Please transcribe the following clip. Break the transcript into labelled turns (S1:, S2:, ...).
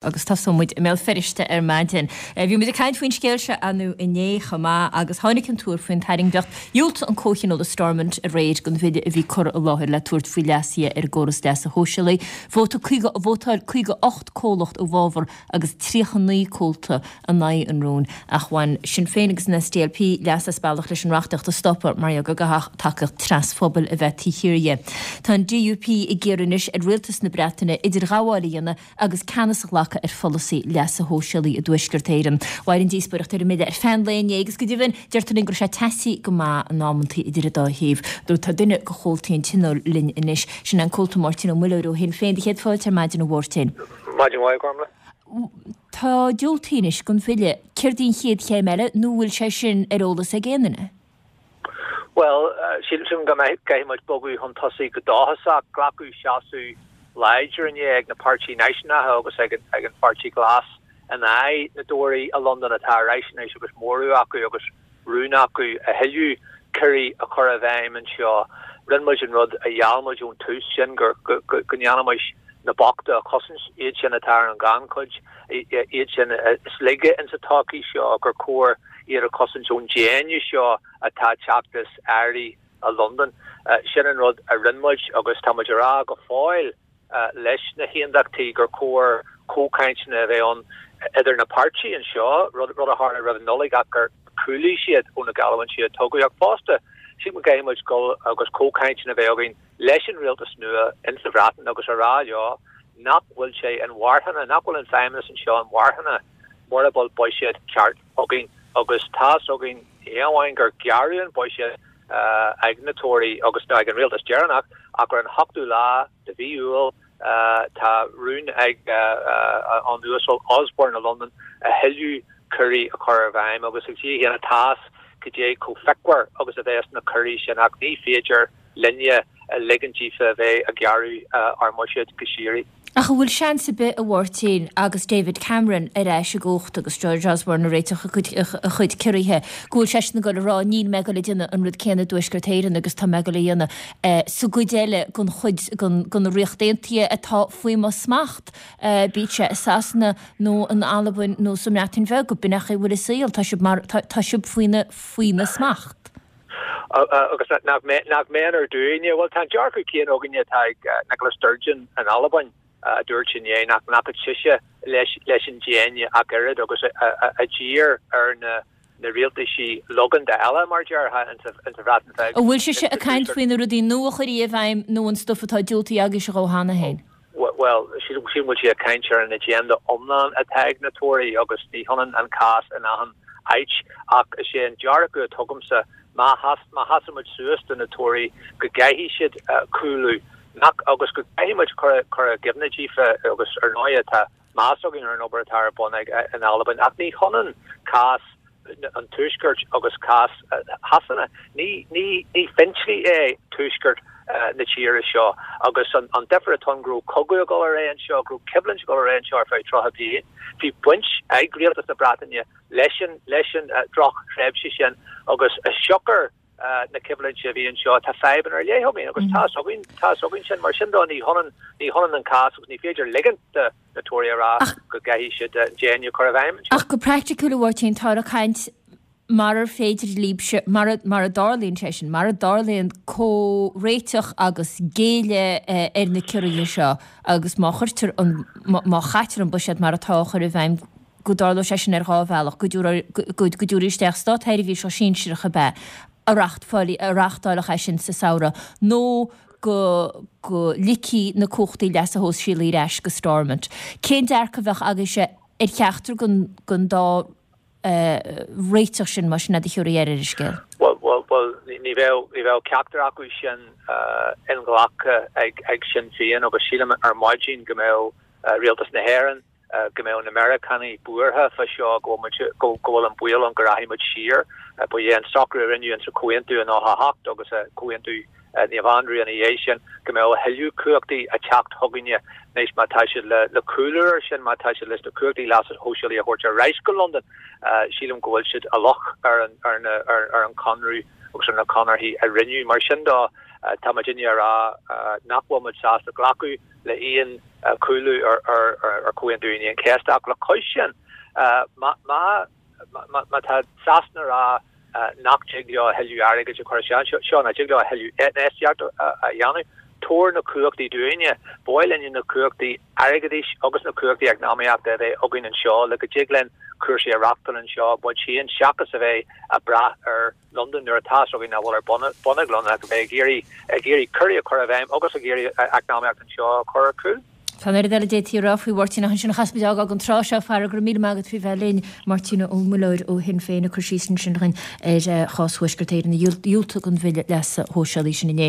S1: Agus tosóidh muid i mBéal Feirste ar maidin. Bhí muid ag caint faoin scéal seo anú inné chomh maith agus tháinig an tuar faoin tairngreacht. Dhiúltaigh an Comhthionól i Stormont aréir don bhille a bhí curtha i láthair le tabhairt faoi leasuithe ar an gcóras leasa shóisialaigh. Vótáil 58 comhlacht i bhfabhar agus 39 comhalta in aghaidh an rúin ach bhain Sinn Féin agus an SDLP leas as bealach leis an reachtaíocht a stopadh mar gheall go gcaithfeadh tacaíocht trasphobail a bheith taobh thiar dhe. Tá an DUP ag iarraidh anois ar rialtas na Breataine idirghabháil a dhéanamh agus ceannas a ghlacadh ar pholasaí leasa shóisialaigh i dTuaisceart Éireann. Mhair an díospóireacht ar an mbille ar feadh an lae inné agus go deimhin, deirtear linn go raibh sé teasaí go maith in amantaí idir an dá thaobh. Tá duine de chomhaltaí an Tionóil linn anois, sin é an Comhalta Máirtín Ó Muilleoir ó Shinn Féin. Do chéad fáilte ar maidin, a Mháirtín.
S2: Maidin mhaith, a Ghormlaith.
S1: Tá diúltaithe anois don bhille. Céard í an chéad chéim eile nó bhfuil sé sin ar eolas ag aon duine?
S2: Bhuel, sílim go gcaithfidh muid bogadh chun tosaigh go dóchasach. Glacadh seasamh láidir inné ag na páirtí náisiúnacha agus ag an Pháirtí Glas in aghaidh na dTóraí i Londain atá ar ais anois agus móramh acu agus rún acu a thuilleadh ciorruithe a chur i bhfeidhm anseo. Rinne muid an rud a gheall muid ón tús, sin go ndéanfaimis na bochta a chosaint, iad sin atá ar an ghannchuid, iad sin is laige insa tsochaí seo, gur chóir iad a chosaint ón déine seo atá ag teacht as airí i Londain. Sin an rud a rinne muid agus tá muid a rá go fóill leis na hAondachtaí gur chóir comhchainteanna a bheith ann idir na páirtí anseo, rud a tharla roimh an Nollaig ach gur chúlaigh siad ó na geallúintí a tugadh. Ach fosta, sílim go gcaithfidh muid dul agus comhchainteanna a bheith againn leis an rialtas nua insa Bhreatain agus a rá leo nach bhfuil sé inmharthana, nach bhfuil an feidhmeannas anseo inmharthana mura bhfuil buiséad ceart againn. Agus tá's againn, ní amháin gur gearradh an buiséad ag na Tóraí agus ag an rialtas deireanach, ach ar an ochtú lá de mhí Iúil tá rún ag an Uasal Osborne i Londain a thuilleadh ciorruithe a chur i bhfeidhm agus ag Dia féin atá's cad é chomh fíochmhar agus a bheas na ciorruithe sin ach ní féidir linne ligint díofa a bheith ag gearradh ár mbuiséad go síoraí.
S1: Ach an bhfuil seans ar bith, a Mháirtín, agus David Cameron ar ais i gcumhacht agus George Osborne ag réiteach a chuid ciorruithe, go bhfuil seisean ag dul a rá níl mé ag dul a déanamh an rud céanna i dTuaisceart Éireann agus tá mé ag dul a dhéanamh sa gcuid eile den chuid den Ríocht Aontaithe atá faoi mo smacht, bíodh sé i Sasana nó in Albain nó sa mBreatain Bheag, b'in é an chaoi a bhfuil an saol, tá sibh mar, tá sibh faoina smacht.
S2: Agus nach méanar dúinne? Bhuel, tá an dearcadh céanna againne atá ag Nicola Sturgeon in Albain, a dúirt inné nach nglacfadh sise leis an déine ach oiread agus a d'iarr ar na rialtaisí logánta eile, mar a déarfá, insa Bhreatain Bheag.
S1: An bhfuil sise ag caint faoi na rudaí nua a chuirfí i bhfeidhm nó an stuif atá diúltaithe agaibhse dhó cheana féin?
S2: Bhuel, sílim go bhfuil sí ag caint ar an agenda iomlán atá ag na Tóraí agus ní hionann an cás in achan áit ach is é an dearcadh atá agamsa má sheasann muid suas do na Tóraí go gcaithfidh siad cúlú nach agus go gcaithfidh muid cur i gcuimhne díofa agus ar ndóigh tá meas againn ar an obair atá ar bun ag in Albain ach ní hionann cás an Tuaiscirt agus cás Shasana. Ní fintinlí é tuaisceart na tíre seo agus an difear atá ann go raibh cogadh ag dul ar aghaidh anseo, go raibh coimhlint ag dul ar aghaidh anseo ar feadh 30 bliain. Bhí baint ag rialtas na Breataine leis an leis an drochthréimhse sin agus i siocair na coimhlinte a bhí anseo tá fadhbanna ar leith againn agus tá's againn tá's againn sin. Mar sin dó ní hionann ní hionann an cás agus ní féidir ligint do na Tóraí a rá go gcaithfidh siad an déine a chur i bhfeidhm
S1: anseo. Ach go praiticiúil, a Mháirtín, táthar ag caint marar féidir libhse, mara mara dtarlaíonn sé sin, mara dtarlaíonn comhréiteach agus géilleadh ar na ciorruithe seo agus má chuirtear an, má chaitear an buiséad mar atá á chur i bhfeidhm, go dtarlóidh sé sin ar dhá bhealach, go dtabharfaí isteach státsheirbhíseach sinsearach ab ea a reáchtálfadh é sin sa samhradh nó go go ligfí na cumhachtaí leasa shóisialaigh ar ais go Stormont. Cén dearcadh a bheadh agaibhse ar cheachtar den dá réiteach sin, más sin iad a thiúrfaí air ar an scéal?
S2: Bhuel, bhuel, ní bheadh, ní bheadh ceachtar acu sin inghlactha ag Sinn Féin agus sílim ar maidin go mbeadh Rialtas na hÉireann, go mbeadh na Meiriceánaigh buartha fá seo, go bhfuil muid, go bhfuil an baol ann go rachaidh muid siar. Ba é an socrú a rinneadh insa Chomhaontú i 98 agus Comhaontú Naomh Aindriú ina dhiaidh sin, go mbeadh a thuilleadh cumhachtaí ag teacht chugainne anois má tá siad le cúlú air sin, má tá siad leis na cumhachtaí leasa shóisialaigh a thabhairt ar ais go Londain. Sílim go bhfuil siad i loch ar an, ar an, ar an Chonradh. agus ar na conarthaí a rinneadh. Mar sin de, tá muidinne ag rá nach bhfuil muid sásta glacadh le aon chúlú ar Chomhaontú Aoine an Chéasta ach le cois sin, má má tá Sasana ag rá nach dtig leo a thuilleadh airgid a chur isteach anseo, nach dtig leo a thuilleadh infheistíocht a dhéanamh, tabhair na cumhachtaí dúinne. Ba mhaith linne na cumhachtaí airgeadais agus na cumhachtaí eacnamaíochta a bheith againn anseo le go dtig linn cúrsaí a reáchtáil anseo muid féin seachas a bheith ag brath ar Londain nuair atá fhios againn nach bhfuil ar bun ag Londain ach a bheith ag iarraidh ag iarraidh cúrsaí a chur i bhfeidhm agus ag iarraidh eacnamaíocht anseo a chur ar cúl.
S1: Tá an oiread eile a d'fhéadfaí a rá faoi Mháirtín ach ansin caithfidh muid a fhágáil don tráth seo. A fheara, go raibh míle maith agat faoi bheith linn. Máirtín Ó Muilleoir ó Shinn Féin ag cur síos ansin dhúinn ar chás Thuaisceart Éireann a dhiúltaigh don bhille leasa shóisialaigh sin inné.